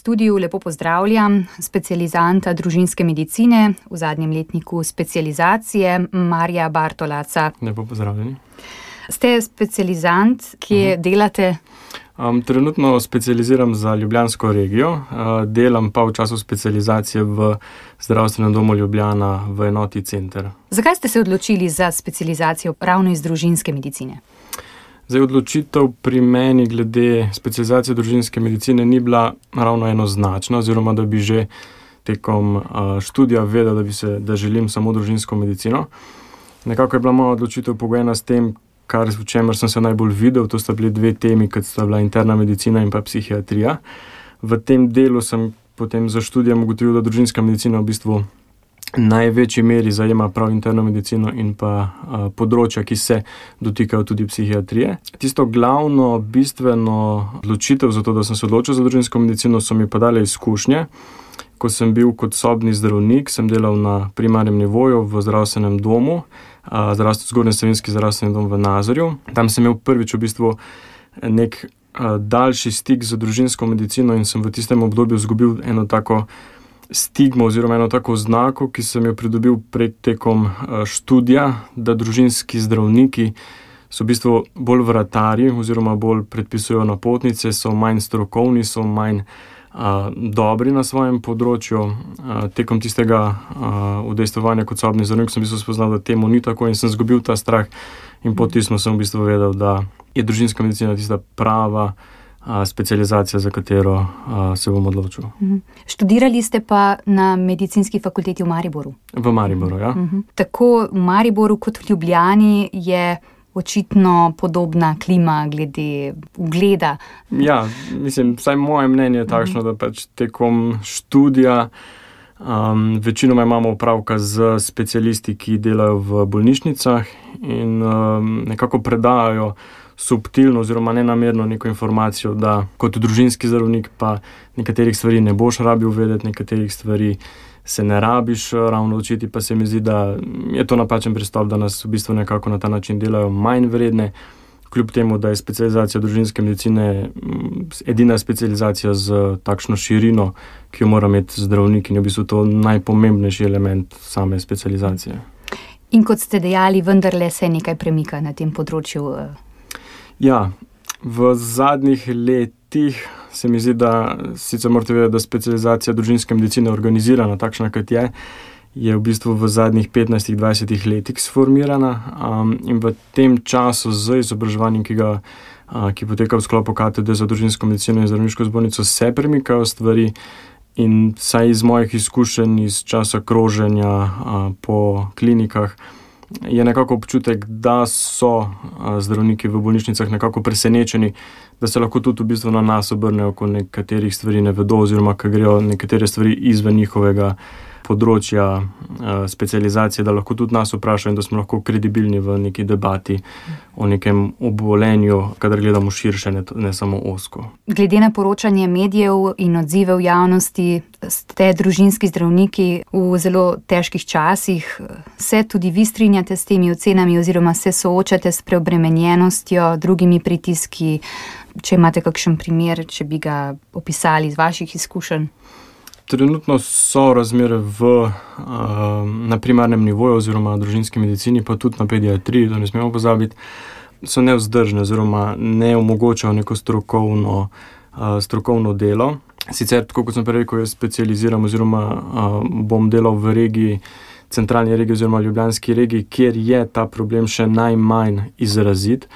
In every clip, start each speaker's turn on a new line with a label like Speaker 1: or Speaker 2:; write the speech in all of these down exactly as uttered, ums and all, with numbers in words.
Speaker 1: studiu lepo pozdravljam specializanta družinske medicine v zadnjem letniku specializacije Marija Bartolaca.
Speaker 2: Lepo pozdravljeni.
Speaker 1: Ste specializant, kje uh-huh. delate?
Speaker 2: Um, trenutno specializiram za ljubljansko regijo, uh, delam pa v času specializacije v zdravstvenem domu Ljubljana v enoti Center.
Speaker 1: Zakaj ste se odločili za specializacijo ravno iz družinske medicine?
Speaker 2: Zdaj, odločitev pri meni glede specializacije družinske medicine ni bila ravno enoznačna, oziroma da bi že tekom uh, študija vedel, da, bi se, da želim samo družinsko medicino. Nekako je bila moja odločitev pogojena s tem, kar, v čemer sem se najbolj videl, to sta bili dve temi, kot sta bila interna medicina in pa psihiatrija. V tem delu sem potem za študijem ugotovil, da družinska medicina v bistvu največji meri zajema prav interno medicino in pa a, področja, ki se dotikajo tudi psihiatrije. Tisto glavno, bistveno odločitev za to, da sem se odločil za družinsko medicino, so mi pa dale izkušnje. Ko sem bil kot sobni zdravnik, sem delal na primarnem nivoju v zdravstvenem domu, Zgornji Savinjski zdravstveni dom v Nazorju. Tam sem imel prvič v bistvu nek a, daljši stik z družinsko medicino in sem v tistem obdobju izgubil eno tako stigmo oziroma eno tako znako, ki sem jo pridobil pred tekom študija, da družinski zdravniki so v bistvu bolj vratarji oziroma bolj predpisujejo napotnice, so manj strokovni, so manj a, dobri na svojem področju. A, tekom tistega a, udejstvovanja kot sobni zdravnik sem v bistvu spoznal, da temu ni tako in sem izgubil ta strah in po tistem sem v bistvu vedel, da je družinska medicina tista prava specializacija, za katero a, se bom odločil.
Speaker 1: Uh-huh. Študirali ste pa na medicinski fakulteti v Mariboru?
Speaker 2: V Mariboru, ja.
Speaker 1: Uh-huh. Tako v Mariboru kot v Ljubljani je očitno podobna klima glede ugleda.
Speaker 2: Ja, mislim, vsaj moje mnenje je takšno, uh-huh. da pač tekom študija um, večinoma imamo opravka z specialisti, ki delajo v bolnišnicah in um, nekako predajajo subtilno oziroma nenamerno neko informacijo, da kot družinski zdravnik pa nekaterih stvari ne boš rabil vedeti, nekaterih stvari se ne rabiš ravno učiti, pa se mi zdi, da je to napačen pristop, da nas v bistvu nekako na ta način delajo manj vredne, kljub temu, da je specializacija družinske medicine edina specializacija z takšno širino, ki jo mora imeti zdravnik in je v bistvu to najpomembnejši element same specializacije.
Speaker 1: In kot ste dejali, vendarle se nekaj premika na tem področju.
Speaker 2: Ja, v zadnjih letih se mi zdi, da sicer morate vedeti, da specializacija družinske medicine organizirana takšna, kot je, je v bistvu v zadnjih petnajstih do dvajsetih letih sformirana um, in v tem času z izobraževanjem, ki, ga, uh, ki poteka v sklopu katedre za družinsko medicino in zdravniško zbornico, se premikajo stvari in saj iz mojih izkušenj iz časa kroženja uh, po klinikah je nekako občutek, da so zdravniki v bolnišnicah nekako presenečeni, da se lahko tudi v bistvu na nas obrnejo, ko nekaterih stvari ne vedo oziroma ko grejo nekatere stvari izven njihovega področja specializacije, da lahko tudi nas vprašajo in da smo lahko kredibilni v neki debati o nekem obolenju, kadar gledamo širše, ne, ne samo ozko.
Speaker 1: Glede na poročanje medijev in odzive v javnosti, ste družinski zdravniki v zelo težkih časih. Se tudi vi strinjate s temi ocenami oziroma se soočate s preobremenjenostjo, drugimi pritiski? Če imate kakšen primer, če bi ga opisali iz vaših izkušenj?
Speaker 2: Trenutno so razmere v, uh, na primarnem nivoju oziroma družinski medicini, pa tudi na pediatriji, to ne smemo pozabiti, so nevzdržne oziroma ne omogočajo neko strokovno, uh, strokovno delo. Sicer, tako kot sem prej rekel, jaz specializiram oziroma uh, bom delal v regiji, centralni regiji oziroma ljubljanski regiji, kjer je ta problem še najmanj izrazit.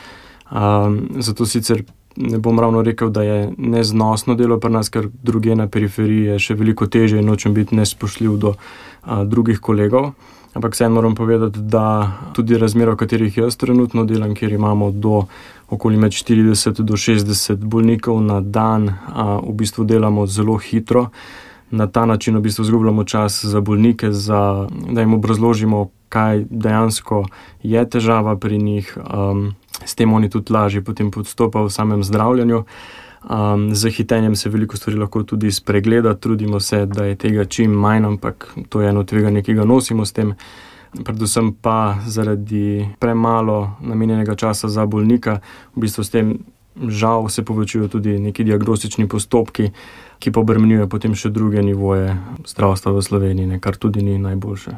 Speaker 2: Uh, zato sicer ne bom ravno rekel, da je neznosno delo pri nas, ker druge na periferiji je še veliko težje in nočem biti nespoštljiv do a, drugih kolegov. Ampak vseeno moram povedati, da tudi razmere, v katerih jaz trenutno delam, kjer imamo do okoli med štirideset do šestdeset bolnikov na dan, a, v bistvu delamo zelo hitro. Na ta način v bistvu izgubljamo čas za bolnike, za, da jim obrazložimo, kaj dejansko je težava pri njih. Um, S tem oni tudi lažje potem podstopajo v samem zdravljenju. Um, z hitenjem se veliko stvari lahko tudi spregleda, trudimo se, da je tega čim manj, ampak to je eno tveganje, ki ga nosimo s tem. Predvsem pa zaradi premalo namenjenega časa za bolnika, v bistvu s tem žal se povečujejo tudi neki diagnostični postopki, ki pa obremenjujejo potem še druge nivoje zdravstva v Sloveniji, ne, kar tudi ni najboljše.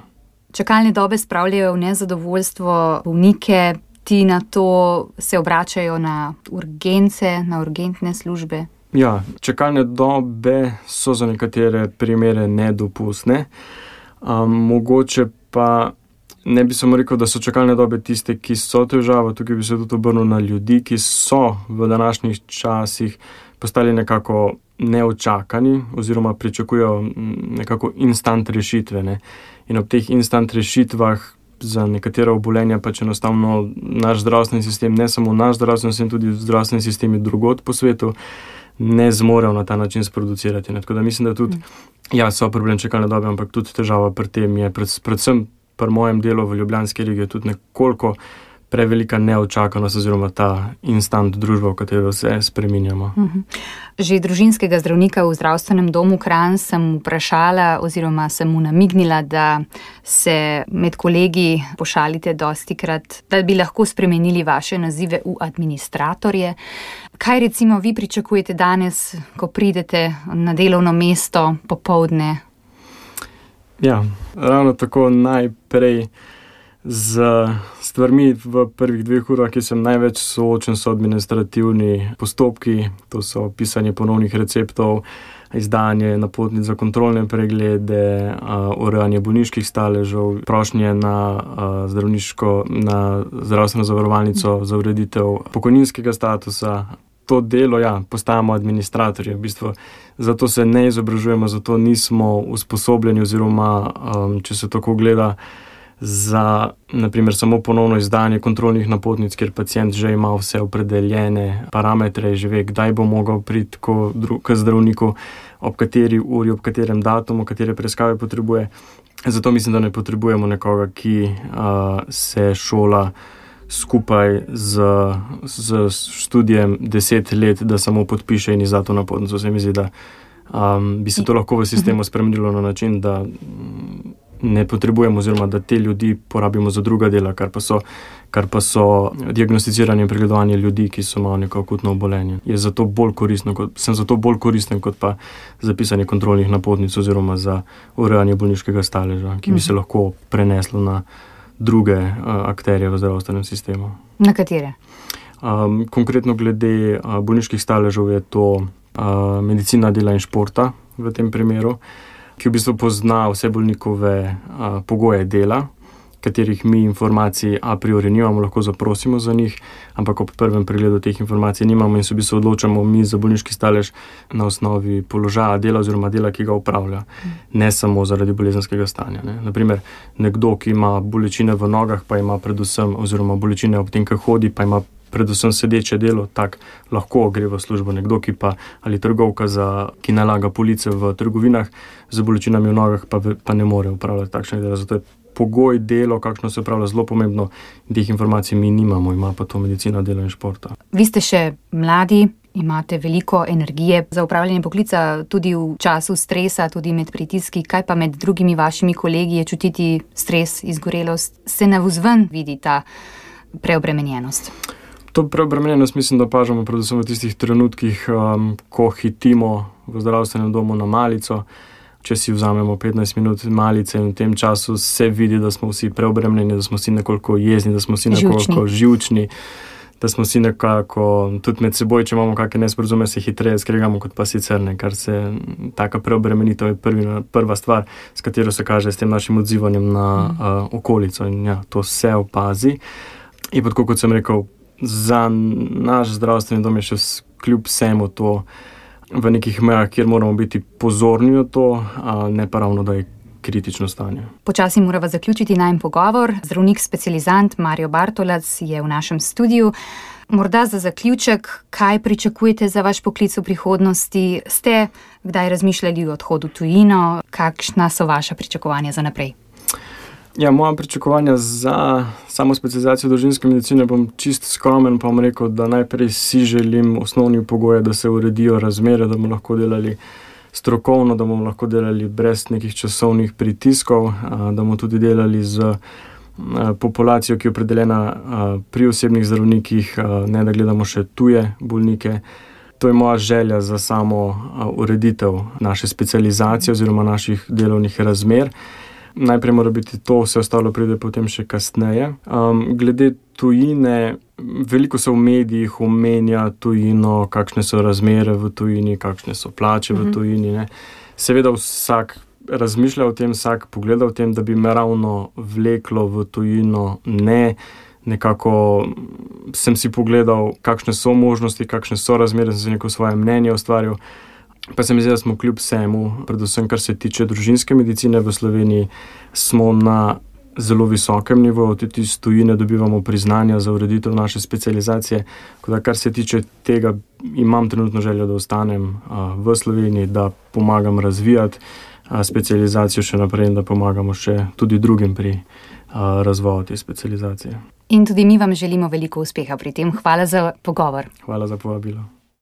Speaker 1: Čakalne dobe spravljajo v nezadovoljstvo bolnike, ti na to se obračajo na urgence, na urgentne službe.
Speaker 2: Ja, čakalne dobe so za nekatere primere nedopustne. Um, mogoče pa ne bi samo rekel, da so čakalne dobe tiste, ki so težava, tukaj bi se tudi obrnil na ljudi, ki so v današnjih časih postali nekako neočakani oziroma pričakujejo nekako instant rešitve. Ne? In ob teh instant rešitvah za nekatera obolenja pač enostavno naš zdravstveni sistem, ne samo naš zdravstveni sistem, tudi zdravstveni sistemi drugod po svetu, ne zmorejo na ta način sproducirati. Ne? Tako da mislim, da tudi, ja, so problem čakalne dobe, ampak tudi težava pri tem je pred, predvsem pri mojem delu v Ljubljanski regiji tudi nekoliko prevelika neočakanost oziroma ta instant družba, v katero se spreminjamo.
Speaker 1: Že družinskega zdravnika v zdravstvenem domu Kranj sem vprašala oziroma sem mu namignila, da se med kolegi pošalite dostikrat, da bi lahko spremenili vaše nazive v administratorje. Kaj recimo vi pričakujete danes, ko pridete na delovno mesto popoldne?
Speaker 2: Ja, ravno tako najprej z stvarmi v prvih dveh urah, ki sem največ soočen, so administrativni postopki, to so pisanje ponovnih receptov, izdanje napotnic za kontrolne preglede, urejanje bolniških staležev, prošnje na zdravniško, na zdravstveno zavarovalnico za ureditev pokojninskega statusa. To delo, ja, postajamo administratorji, v bistvu zato se ne izobražujemo, zato nismo usposobljeni oziroma, um, če se tako gleda, za, naprimer, samo ponovno izdanje kontrolnih napotnic, kjer pacient že ima vse opredeljene parametre, že ve, kdaj bo mogel priti k zdravniku, ob kateri uri, ob katerem datumu, katere preiskave potrebuje. Zato mislim, da ne potrebujemo nekoga, ki uh, se šola skupaj z, z študijem deset let, da samo podpiše in izda to napotnico. Se mi zdi, da um, bi se to lahko v sistemu spremenilo na način, da ne potrebujemo oziroma da te ljudi porabimo za druga dela, kar pa so, kar pa so diagnosticiranje in pregledovanje ljudi, ki so imeli neko akutno obolenje. Je zato bolj koristno, kot, sem zato bolj koristen kot pa zapisanje kontrolnih napotnic oziroma za urejanje bolniškega staleža, ki bi se lahko preneslo na druge uh, akterje v zdravstvenem sistemu.
Speaker 1: Na katere?
Speaker 2: Um, konkretno glede uh, bolniških staležev je to uh, medicina dela in športa v tem primeru, ki v bistvu pozna vse bolnikove uh, pogoje dela, katerih mi informacij a priori nimamo, lahko zaprosimo za njih, ampak ob prvem pregledu teh informacij nimamo in se v bistvu odločamo mi za bolniški stalež na osnovi položaja dela oziroma dela, ki ga upravlja, ne samo zaradi bolezenskega stanja. Ne. Naprimer, nekdo, ki ima bolečine v nogah, pa ima predvsem, oziroma bolečine ob tem, ko hodi, pa ima predvsem sedeče delo, tak lahko gre v službo. Nekdo, ki pa ali trgovka, za, ki nalaga police v trgovinah z bolečinami v nogah, pa, pa ne more upravljati takšne dela. Zato je pogoj delo, kakšno se upravlja, zelo pomembno. Teh informacij mi nimamo, ima pa to medicina dela in športa.
Speaker 1: Vi ste še mladi, imate veliko energije za upravljanje poklica, tudi v času stresa, tudi med pritiski. Kaj pa med drugimi vašimi kolegi je čutiti stres, izgorelost? Se navzven vidi ta preobremenjenost?
Speaker 2: To preobremenjenost mislim, da opažamo predvsem v tistih trenutkih, um, ko hitimo v zdravstvenem domu na malico. Če si vzamemo petnajst minut malice in v tem času se vidi, da smo vsi preobremenjeni, da smo vsi nekoliko jezni, da smo vsi nekoliko živčni, da smo vsi nekako tudi med seboj, če imamo kakšne nesporazume, se hitreje skregamo kot pa sicer, ne, kar se taka preobremenitev je prvi, prva stvar, s katero se kaže s tem našim odzivanjem na uh, okolico in ja, to se opazi. In pa tako, kot sem rekel, za naš zdravstveni dom je še kljub vsemu to v nekih mejah, kjer moramo biti pozorni na to, a ne pa ravno, da je kritično stanje.
Speaker 1: Počasi morava zaključiti najin pogovor. Zdravnik specializant Mario Bartolac je v našem studiu. Morda za zaključek, kaj pričakujete za vaš poklic v prihodnosti? Ste kdaj razmišljali o odhodu v tujino? Kakšna so vaša pričakovanja za naprej?
Speaker 2: Ja, moja pričakovanja za samo specializacijo družinske medicine, bom čist skromen, pa bom rekel, da najprej si želim osnovni pogoje, da se uredijo razmere, da bomo lahko delali strokovno, da bomo lahko delali brez nekih časovnih pritiskov, da bomo tudi delali z populacijo, ki je opredeljena pri osebnih zdravnikih, ne da gledamo še tuje bolnike. To je moja želja za samo ureditev naše specializacije oziroma naših delovnih razmer. Najprej mora biti to, vse ostalo pride potem še kasneje. Um, glede tujine, veliko se v medijih omenja tujino, kakšne so razmere v tujini, kakšne so plače v tujini. Ne. Seveda vsak razmišlja o tem, vsak pogleda o tem, da bi me ravno vleklo v tujino, ne. Nekako sem si pogledal, kakšne so možnosti, kakšne so razmere, sem si neko svoje mnenje ustvaril. Pa se mi zdi, da smo kljub vsemu, predvsem kar se tiče družinske medicine v Sloveniji, smo na zelo visokem nivoju, tudi iz tujine dobivamo priznanja za ureditev naše specializacije. Da, kar se tiče tega, imam trenutno željo, da ostanem a, v Sloveniji, da pomagam razvijati a, specializacijo še naprej in da pomagamo še tudi drugim pri a, razvoju te specializacije.
Speaker 1: In tudi mi vam želimo veliko uspeha pri tem. Hvala za pogovor.
Speaker 2: Hvala za povabilo.